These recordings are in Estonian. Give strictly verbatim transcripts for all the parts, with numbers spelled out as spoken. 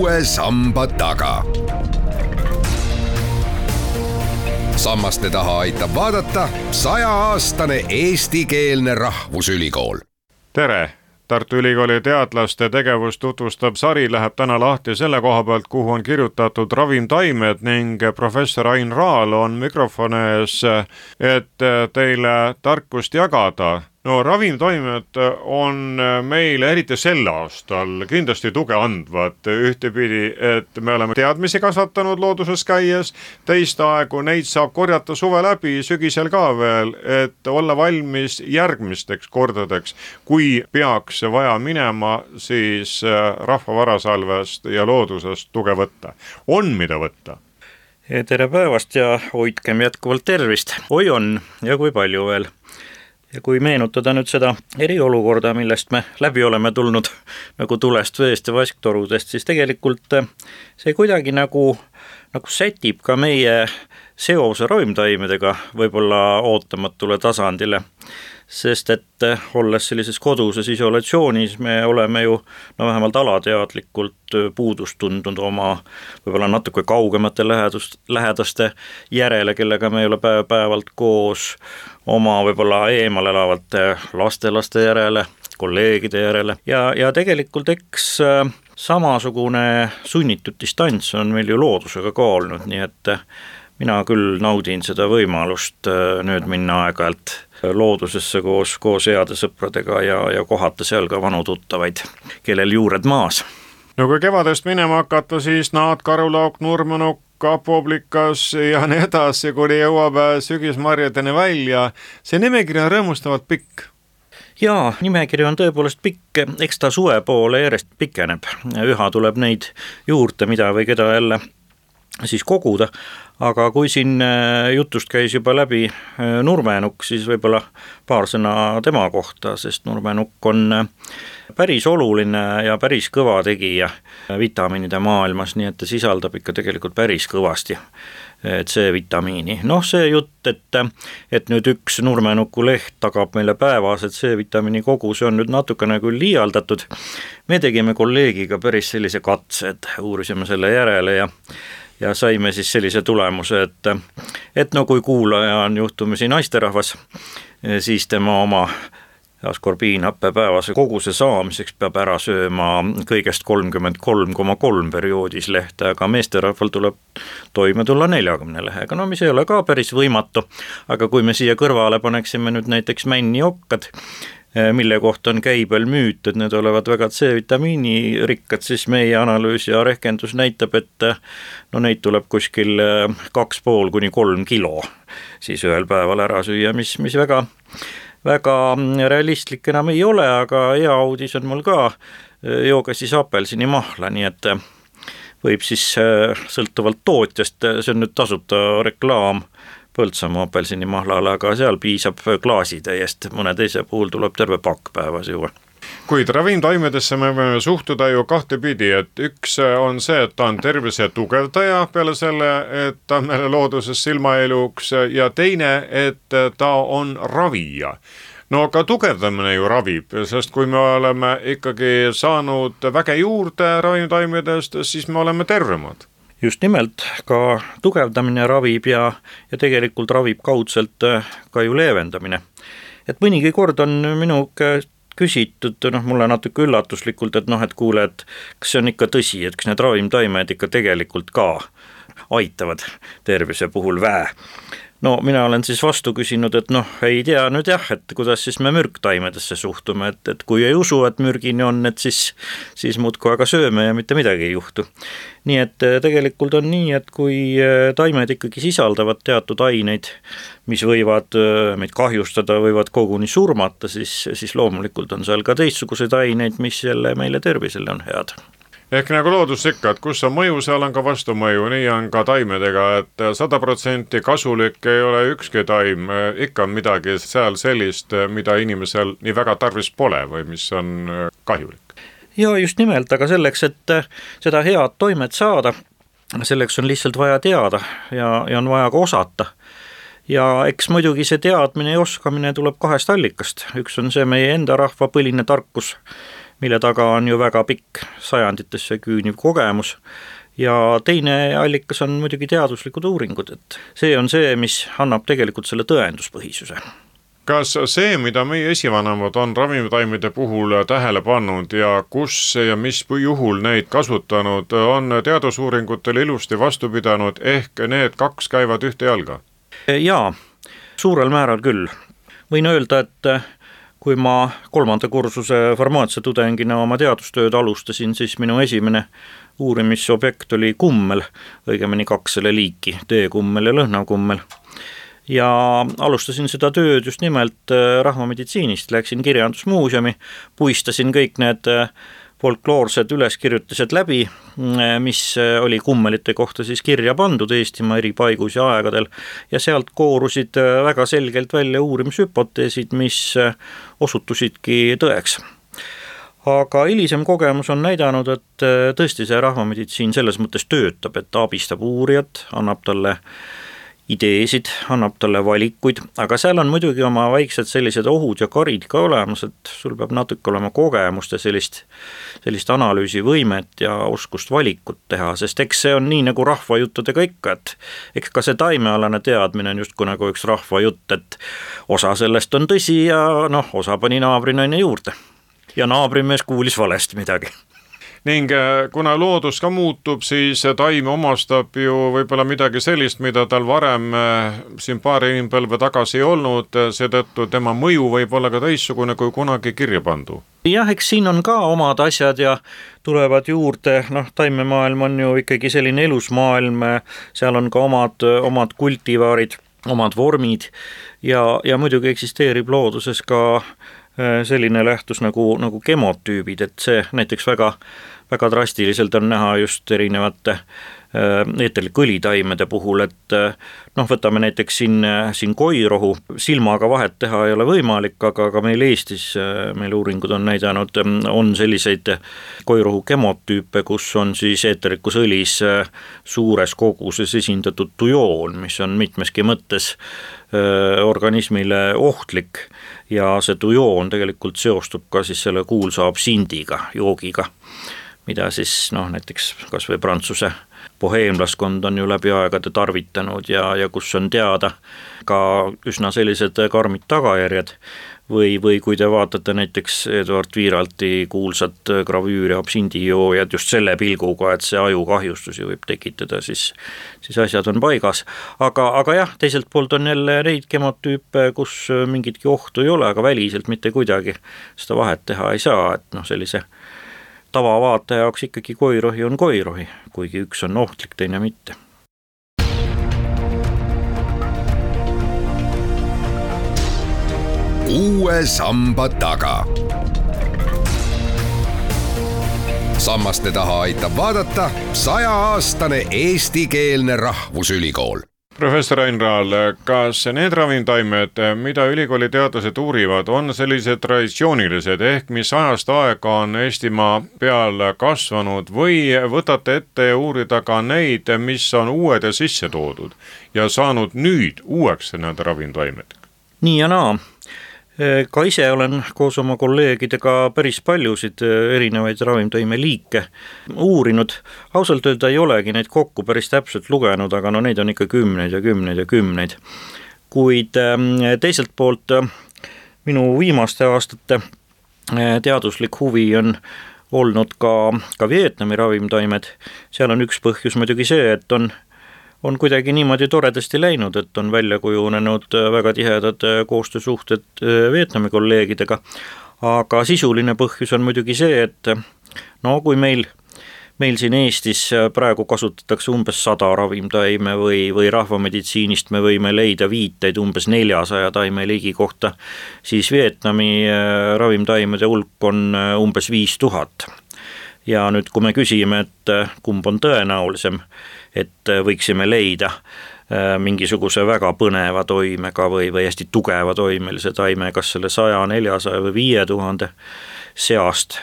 uue samba taga. Sammaste taha aitab vaadata sajaaastane eestikeelne rahvusülikool. Tere! Tartu Ülikooli teadlaste tegevust tutvustab sari läheb täna lahti selle koha pealt, kuhu on kirjutatud ravimtaimed ning professor Ain Raal on mikrofoni ees, et teile tarkust jagada. No ravimtaimed on meile eriti sel aastal kindlasti tuge andvad ühtepidi, et me oleme teadmisi kasvatanud looduses käies, teist aegu neid saab korjata suve läbi, sügisel ka veel, et olla valmis järgmisteks kordadeks, kui peaks vaja minema, siis rahva varasalvest ja loodusest tuge võtta. On mida võtta? Tere päevast ja hoidkem jätkuvalt tervist. Oi on ja kui palju veel. Ja kui meenutada nüüd seda eriolukorda, millest me läbi oleme tulnud nagu tulest, veest ja vasktorudest, siis tegelikult see kuidagi nagu, nagu sätib ka meie seose ravimtaimedega võib-olla ootamatule tasandile. Sest et olles sellises koduses isolatsioonis, me oleme ju no vähemalt alateadlikult puudust tundnud oma võib-olla natuke kaugemate lähedust, lähedaste järele, kellega me ei ole päev päevalt koos, oma võib-olla eemal elavate lastelaste järele, kolleegide järele. Ja, ja tegelikult eks samasugune sunnitud distants on meil ju loodusega ka olnud, nii et mina küll naudin seda võimalust nüüd minna aeg-ajalt loodusesse koos, koos heade sõpradega ja, ja kohata seal ka vanu tuttavaid, kellel juured maas. No kui kevadest minema hakata, siis naad, karulauk, nurmenukk, kapoblikas ja nii edasi, kuni jõuab sügismarjadeni välja. See nimekiri on rõõmustavalt pikk. Jaa, nimekiri on tõepoolest pikk, eks ta suve poole järjest pikeneb. Üha tuleb neid juurde, mida või keda jälle siis koguda, aga kui siin jutust käis juba läbi nurmenukk, siis võib-olla paar sõna tema kohta, sest nurmenukk on päris oluline ja päris kõva tegija vitamiinide maailmas, nii et ta sisaldab ikka tegelikult päris kõvasti C-vitamiini. Noh, see jutt, et, et nüüd üks nurmenuku leht tagab meile päevased C-vitamiini kogu, see on nüüd natukene küll liialdatud. Me tegime kolleegiga päris sellise katse, et uurisime selle järele ja Ja saime siis sellise tulemuse, et, et no kui kuulaja on juhtumisi naisterahvas, siis tema oma askorbiinhappe päevase koguse saamiseks peab ära sööma kõigest kolmkümmend kolm koma kolm perioodis lehte, aga meesterahval tuleb toime tulla neljakümne lehega, no mis ei ole ka päris võimatu, aga kui me siia kõrvale paneksime nüüd näiteks männiokkad, mille kohta on käibel müüt, et need olevat väga C-vitamiini rikkad, siis meie analüüs ja rehkendus näitab, et no neid tuleb kuskil kaks pool kuni kolm kilo siis ühel päeval ära süüa, mis, mis väga, väga realistlik enam ei ole, aga hea uudis on mul ka, jooga siis apelsini mahla, nii et võib siis sõltuvalt tootjast, see on nüüd tasuta reklaam, Põltsamaa apelsini mahlale, aga seal piisab klaasi täiest, mõne teise puhul tuleb terve pakk päevas juua. Kuid ravimtaimedesse me võime suhtuda ju kahte pidi, et üks on see, et ta on tervise tugevdaja peale selle, et ta meile looduses silmaeluks ja teine, et ta on ravija. No ka tugevdamine ju ravib, sest kui me oleme ikkagi saanud väge juurde ravimtaimedest, siis me oleme tervemad. Just nimelt, ka tugevdamine ravib ja, ja tegelikult ravib kaudselt ka ju leevendamine. Et mõnigi kord on minu küsitud, noh mulle natuke üllatuslikult, et noh, et kuule, et kas see on ikka tõsi, et kas need ravimtaimed ikka tegelikult ka aitavad tervise puhul väe. No mina olen siis vastu küsinud, et noh, ei tea nüüd jah, et kuidas siis me mürktaimedesse suhtume, et, et kui ei usu, et mürgini on, et siis, siis muudkui aga sööme ja mitte midagi ei juhtu. Nii et tegelikult on nii, et kui taimed ikkagi sisaldavad teatud aineid, mis võivad meid kahjustada, võivad koguni surmata, siis, siis loomulikult on seal ka teistsuguseid aineid, mis jälle meile tervisele on head. Ehk nagu loodus ikka, et kus on mõju, seal on ka vastumõju, nii on ka taimedega, et sada protsenti kasulik ei ole ükski taim, ikka on midagi seal sellist, mida inimesel nii väga tarvis pole või mis on kahjulik. Ja just nimelt, aga selleks, et seda head toimet saada, selleks on lihtsalt vaja teada ja, ja on vaja ka osata. Ja eks muidugi see teadmine ja oskamine tuleb kahest allikast. Üks on see meie enda rahva põline tarkus, mille taga on ju väga pikk sajanditesse küüniv kogemus. Ja teine allikas on muidugi teaduslikud uuringud, et see on see, mis annab tegelikult selle tõenduspõhisuse. Kas see, mida meie esivanemad on ravimtaimede puhul tähele pannud ja kus ja mis juhul neid kasutanud, on teadusuuringutel ilusti vastu pidanud, ehk need kaks käivad ühte jalga? Jaa, suurel määral küll. Võin öelda, et kui ma kolmanda kursuse farmaatsiatudengina oma teadustööd alustasin, siis minu esimene uurimisobjekt oli kummel, õigemini kaks selle liiki, teekummel ja lõhnakummel. Ja alustasin seda tööd just nimelt rahvameditsiinist, läksin kirjandusmuuseumi, puistasin kõik need folkloorsed üleskirjutised läbi, mis oli kummelite kohta siis kirja pandud Eestimaa eri paigus ja aegadel, ja sealt koorusid väga selgelt välja uurimishüpoteesid, mis osutusidki tõeks. Aga hilisem kogemus on näidanud, et tõesti see rahvameditsiin selles mõttes töötab, et ta abistab uurijat, annab talle ideesid, annab talle valikuid, aga seal on muidugi oma väiksed sellised ohud ja karid ka olemas, et sul peab natuke olema kogemust ja sellist, sellist analüüsivõimet ja oskust valikut teha, sest eks see on nii nagu rahvajuttudega ikka, et eks ka see taimealane teadmine on justku nagu üks rahvajutt, et osa sellest on tõsi ja noh, osa pani naabrinaine juurde ja naabrimees kuulis valesti midagi. Ning kuna loodus ka muutub, siis taim omastab ju võib-olla midagi sellist, mida tal varem siin paari inimpõlve tagasi ei olnud, seetõttu tema mõju võib olla ka teissugune kui kunagi kirja pandu. Jah, eks siin on ka omad asjad ja tulevad juurde, noh, taimemaailm on ju ikkagi selline elusmaailm, seal on ka omad, omad kultivaarid, omad vormid ja, ja muidugi eksisteerib looduses ka selline lähtus nagu, nagu kemotüübid, et see näiteks väga, väga drastiliselt on näha just erinevate eeterlikõlitaimede puhul, et noh, võtame näiteks siin, siin koirohu, silmaga vahet teha ei ole võimalik, aga, aga meil Eestis, meil uuringud on näidanud, on selliseid koirohu kemotüüpe, kus on siis eeterlikus õlis suures koguses esindatud tujoon, mis on mitmeski mõttes organismile ohtlik ja see tujoon tegelikult seostub ka siis selle kuulsa absindiga, joogiga, mida siis noh, näiteks kas või Prantsuse boheemlaskond on ju läbi aegade tarvitanud ja, ja kus on teada ka üsna sellised karmid tagajärjed või, või kui te vaatate näiteks Eduard Viiralti kuulsat gravüüri absindijoojad just selle pilguga, et see ajukahjustusi võib tekitada, siis, siis asjad on paigas. Aga, aga jah, teiselt poolt on jälle neid kemotüüpe, kus mingitki ohtu ei ole, aga väliselt mitte kuidagi seda vahet teha ei saa, et noh, sellise tavavaataja jaoks ikkagi koirohi on koirohi, kuigi üks on ohtlik, teine mitte. Uue samba taga. Sammaste taha aitab vaadata sajaaastane eestikeelne rahvusülikool. Professor Ain Raal, kas need ravimtaimed, mida ülikooli teadlased uurivad, on sellised traditsioonilised ehk mis ajast aega on Eestimaa peal kasvanud või võtate ette ja uurida ka neid, mis on uued ja sisse toodud ja saanud nüüd uueks need ravimtaimed? Nii ja naa. Ka ise olen koos oma kolleegidega päris paljusid erinevaid ravimtaime liike uurinud. Ausalt öelda ei olegi neid kokku päris täpselt lugenud, aga no neid on ikka kümneid ja kümneid ja kümneid. Kuid teiselt poolt minu viimaste aastate teaduslik huvi on olnud ka, ka Vietnami ravimtaimed. Seal on üks põhjus muidugi see, et on on kuidagi niimoodi toredasti läinud, et on välja kujunenud väga tihedad koostöösuhted Vietnami kolleegidega, aga sisuline põhjus on muidugi see, et no kui meil, meil siin Eestis praegu kasutatakse umbes sada ravimtaime või, või rahvameditsiinist me võime leida viiteid umbes neljasaja taime ligi kohta, siis Vietnami ravimtaimede hulk on umbes viis tuhat. Ja nüüd, kui me küsime, et kumb on tõenäolisem, et võiksime leida mingisuguse väga põneva toimega või, või hästi tugeva toimelise taime, kas selle saja, neljasaja või viie tuhande seast,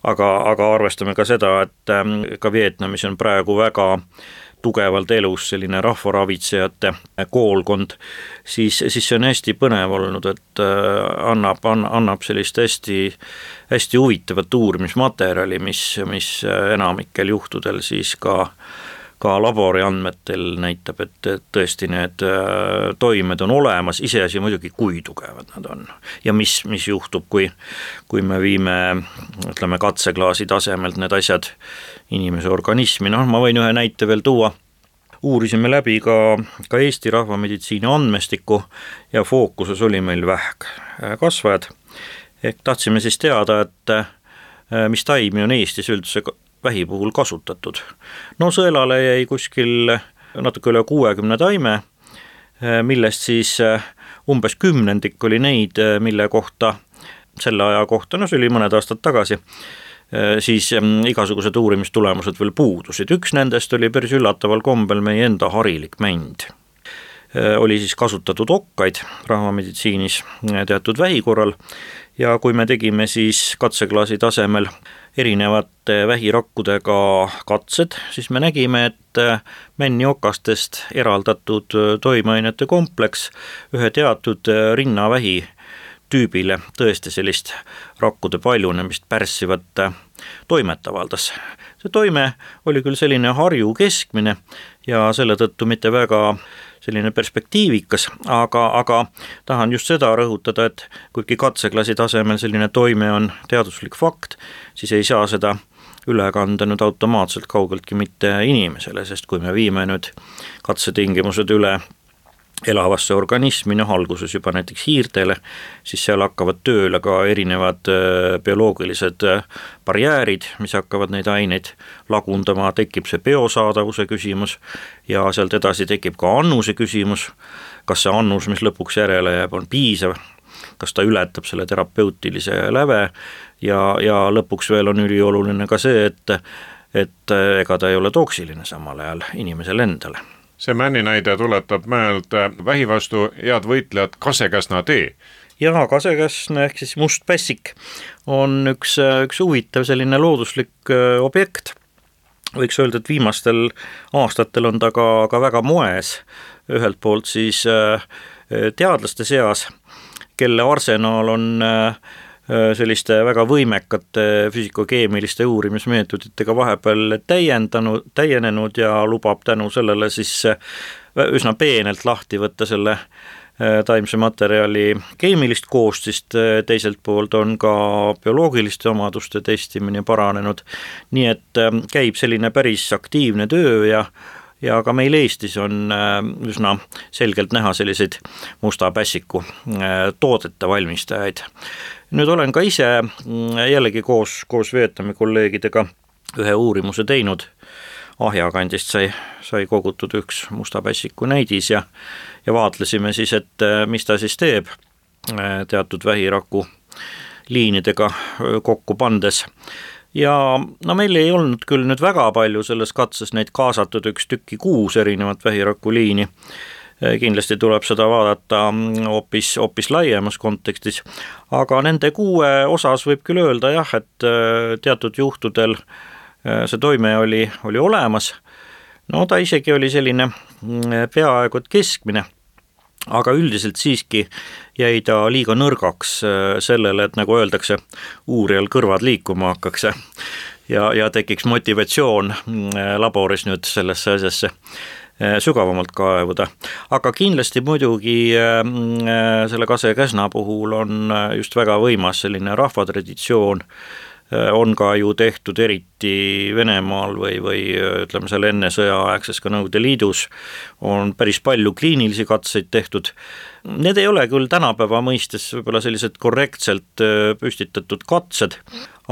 aga, aga arvestame ka seda, et ka Vietnamis on praegu väga tugevalt elus selline rahvaravitsejate koolkond, siis, siis see on hästi põnev olnud, et annab, annab sellist hästi, hästi huvitavat uurimismaterjali, mis, mis enamikel juhtudel siis ka ka labori andmetel näitab, et tõesti need toimed on olemas, iseasi muidugi, kui tugevad nad on. Ja mis, mis juhtub, kui, kui me viime, ütleme, katseklaasi tasemelt need asjad inimese organismi. No ma võin ühe näite veel tuua. Uurisime läbi ka, ka Eesti rahvameditsiini andmestiku ja fookuses oli meil vähk kasvajad. Ehk tahtsime siis teada, et mis taimi on Eestis üldse vähi puhul kasutatud. No sõelale jäi kuskil natuke üle kuuekümne taime, millest siis umbes kümnendik oli neid, mille kohta selle aja kohta, no see oli mõned aastad tagasi, siis igasugused uurimistulemused veel puudusid. Üks nendest oli päris üllataval kombel meie enda harilik mänd. Oli siis kasutatud okkaid rahvameditsiinis teatud vähi korral ja kui me tegime siis katseklaasi tasemel erinevate vähirakkudega katsed, siis me nägime, et männiokastest eraldatud toimeainete kompleks ühe teatud rinnavähi tüübile tõesti sellist rakkude paljunemist pärssivat toimet avaldas. See toime oli küll selline harju keskmine ja selle tõttu mitte väga selline perspektiivikas, aga, aga tahan just seda rõhutada, et kuigi katseklasi tasemel selline toime on teaduslik fakt, siis ei saa seda üle kanda nüüd automaatselt kaugeltki mitte inimesele, sest kui me viime nüüd katsetingimused üle elavasse organismi, noh alguses juba näiteks hiirtele, siis seal hakkavad tööle ka erinevad bioloogilised barjäärid, mis hakkavad neid aineid lagundama, tekib see biosaadavuse küsimus ja sealt edasi tekib ka annuse küsimus, kas see annus, mis lõpuks järele jääb, on piisav, kas ta ületab selle terapeutilise läve ja, ja lõpuks veel on ülioluline ka see, et, et ega ta ei ole toksiline samal ajal inimesele endale. See männi näide tuletab meelde vähi vastu head võitlejad kasekäsna tee. Ja kasekäsna ehk siis must pässik on üks, üks huvitav selline looduslik objekt. Võiks öelda, et viimastel aastatel on ta ka, ka väga moes. Ühelt poolt siis teadlaste seas, kelle arsenaal on selliste väga võimekate füüsikokeemiliste uurimismeetoditega vahepeal täiendanud, täienenud ja lubab tänu sellele siis üsna peenelt lahti võtta selle taimse materjali keemilist koostist, teiselt poolt on ka bioloogiliste omaduste testimine paranenud, nii et käib selline päris aktiivne töö ja ja ka meil Eestis on üsna selgelt näha selliseid musta pässiku toodete valmistajaid. Nüüd olen ka ise jällegi koos, koos Vietnami kolleegidega ühe uurimuse teinud. Ahjakandist sai, sai kogutud üks musta pässiku näidis ja, ja vaatlesime siis, et mis ta siis teeb teatud vähiraku liinidega kokku pandes. Ja no meil ei olnud küll nüüd väga palju selles katses neid kaasatud üks tükki kuus erinevat vähiraku liini. Kindlasti tuleb seda vaadata hoopis, hoopis laiemas kontekstis, aga nende kuue osas võib küll öelda jah, et teatud juhtudel see toime oli, oli olemas. No ta isegi oli selline peaaegu et keskmine, aga üldiselt siiski jäi ta liiga nõrgaks sellele, et nagu öeldakse, uurijal kõrvad liikuma hakkaks ja, ja tekiks motivatsioon laboris nüüd sellesse asjasse sügavamalt kaevuda. Aga kindlasti muidugi selle kasekäsna puhul on just väga võimas selline rahvatraditsioon, on ka ju tehtud eriti Venemaal või, või ütleme seal enne sõjaaegses ka Nõukogude Liidus on päris palju kliinilisi katseid tehtud. Need ei ole küll tänapäeva mõistes võib-olla sellised korrektselt püstitatud katsed,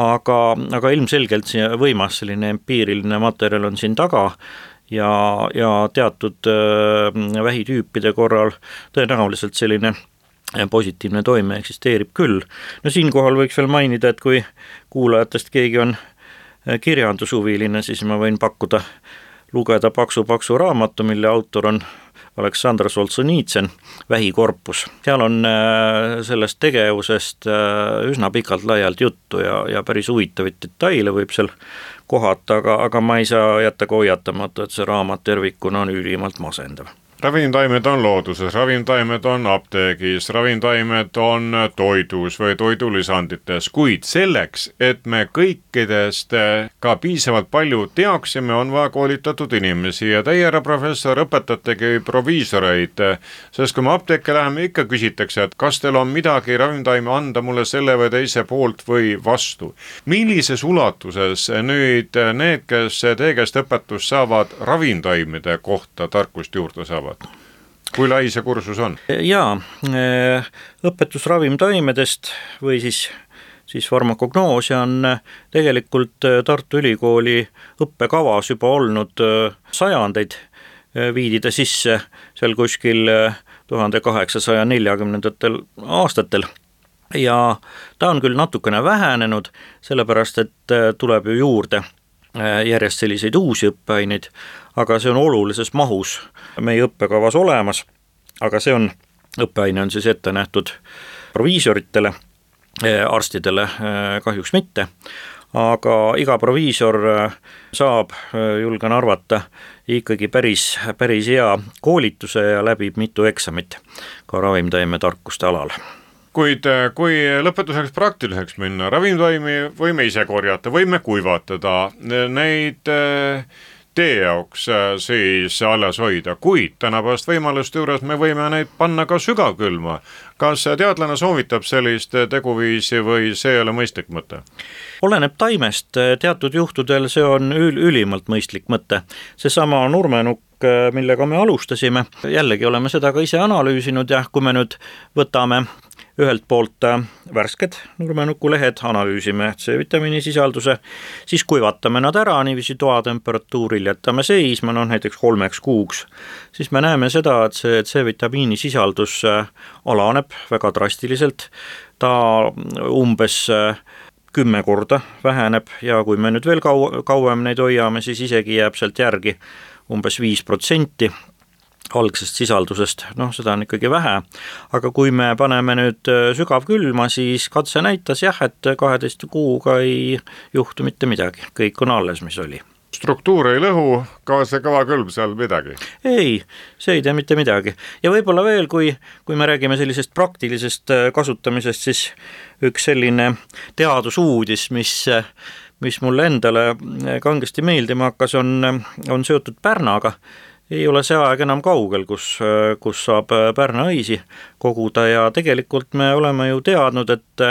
aga, aga ilmselgelt võimas selline empiiriline materjal on siin taga ja, ja teatud vähitüüpide korral tõenäoliselt selline positiivne toime eksisteerib küll. No siinkohal võiks veel mainida, et kui kuulajatest keegi on kirjandushuviline, siis ma võin pakkuda lugeda paksu-paksu raamatu, mille autor on Aleksandr Solžõnitsõn, Vähikorpus. Seal on sellest tegevusest üsna pikalt laialt juttu ja, ja päris huvitavaid detaile võib seal kohata, aga, aga ma ei saa jätta hoiatamata, et see raamat tervikuna on ülimalt masendav. Ravimtaimed on looduses, ravimtaimed on apteegis, ravimtaimed on toidus või toidulisandites, kuid selleks, et me kõikidest ka piisavalt palju teaksime, on vaja koolitatud inimesi ja teie, härra professor, õpetategi proviisoreid, sest kui me apteeke läheme, ikka küsitakse, et kas teil on midagi ravimtaime anda mulle selle või teise poolt või vastu. Millises ulatuses nüüd need, kes teie käest õpetust saavad, ravimtaimede kohta tarkust juurde saavad? Kui lai see kursus on? Jaa, õpetus ravimtaimedest või siis, siis farmakognoosia on tegelikult Tartu Ülikooli õppekavas juba olnud sajandeid, viidi ta sisse seal kuskil tuhande kaheksasaja neljakümnendatel aastatel ja ta on küll natukene vähenenud, sellepärast et tuleb ju juurde järjest selliseid uusi õppeaineid, aga see on olulises mahus meie õppekavas olemas, aga see on, õppeaine on siis ette nähtud proviisoritele, arstidele kahjuks mitte, aga iga proviisor saab, julgen arvata, ikkagi päris, päris hea koolituse ja läbib mitu eksamit ka ravimtaime tarkuste alal. Kuid kui lõpetuseks praktiliseks minna, ravimtaimi võime ise korjata, võime kuivatada, neid tee jaoks siis alles hoida, kuid tänapäevast võimaluste juures me võime neid panna ka sügavkülma. Kas teadlane soovitab sellist teguviisi või see ei ole mõistlik mõte? Oleneb taimest, teatud juhtudel see on ül- ülimalt mõistlik mõte. Seesama nurmenukk, millega me alustasime, jällegi oleme seda ka ise analüüsinud ja kui me nüüd võtame ühelt poolt värsked nurmenukulehed, analüüsime C-vitamiini sisalduse, siis kuivatame nad ära niiviisi toatemperatuuril, jätame seisma, no näiteks kolmeks kuuks, siis me näeme seda, et see C-vitamiini sisaldus alaneb väga drastiliselt, ta umbes kümme korda väheneb ja kui me nüüd veel kau- kauem neid hoiame, siis isegi jääb sealt järgi umbes viis protsenti algsest sisaldusest, noh seda on ikkagi vähe, aga kui me paneme nüüd sügavkülma, siis katse näitas jah, et kaheteist kuuga ei juhtu mitte midagi, kõik on alles, mis oli. Struktuur ei lõhu, ka see kõva külm seal midagi? Ei, see ei tee mitte midagi. Ja võib-olla veel, kui, kui me räägime sellisest praktilisest kasutamisest, siis üks selline teadusuudis, mis, mis mulle endale kangesti meeldima hakkas, on, on seotud Pärnaga. Ei ole see aeg enam kaugel, kus, kus saab Pärna õisi koguda ja tegelikult me oleme ju teadnud, et,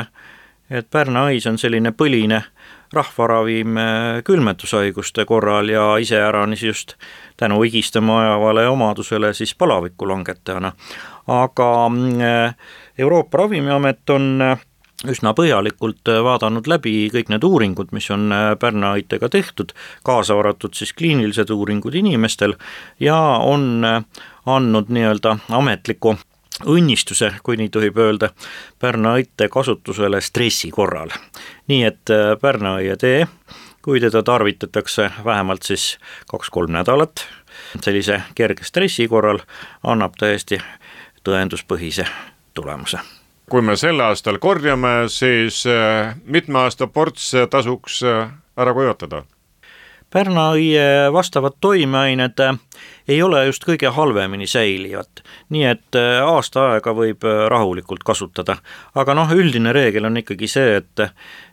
et Pärna õis on selline põline rahvaravim külmetushaiguste korral ja iseäranis just tänu higistama ajavale omadusele siis palaviku langetajana. Aga Euroopa Ravimiamet on üsna põhjalikult vaadanud läbi kõik need uuringud, mis on Pärna õitega tehtud, kaasa arvatud siis kliinilised uuringud inimestel ja on andnud nii-öelda ametliku õnnistuse, kui nii tohib öelda, Pärna õite kasutusele stressi korral. Nii et Pärna õie tee, kui teda tarvitatakse vähemalt siis kaks-kolm nädalat, sellise kerge stressi korral annab täiesti tõenduspõhise tulemuse. Kui me selle aastal korjame, siis mitme aasta ports tasuks ära kuivatada? Pärna õie vastavad toimeained ei ole just kõige halvemini säilivad, nii et aasta aega võib rahulikult kasutada. Aga noh, üldine reegel on ikkagi see, et,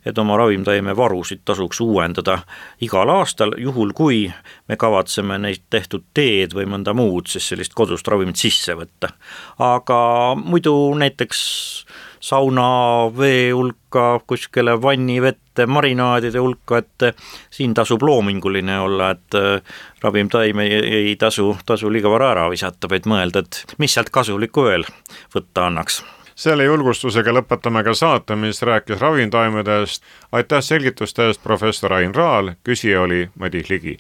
et oma ravimtaime varusid tasuks uuendada igal aastal, juhul kui me kavatseme neid tehtud teed või mõnda muud, siis sellist kodust ravimit sisse võtta. Aga muidu näiteks sauna vee hulka, kuskile vannivette, marinaadide hulka, et siin tasub loominguline olla, et ravimtaim ei, ei tasu, tasu liiga vara ära visata, vaid mõelda, et mis sealt kasulikku veel võtta annaks. Selle julgustusega lõpetame ka saate, mis rääkis ravimtaimedest. Aitäh selgituste eest, professor Ain Raal, küsija oli Madis Ligi.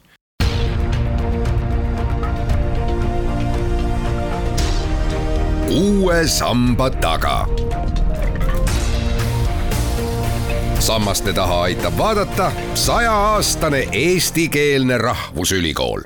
Uue samba taga. Sammaste taha aitab vaadata sajaaastane eestikeelne rahvusülikool.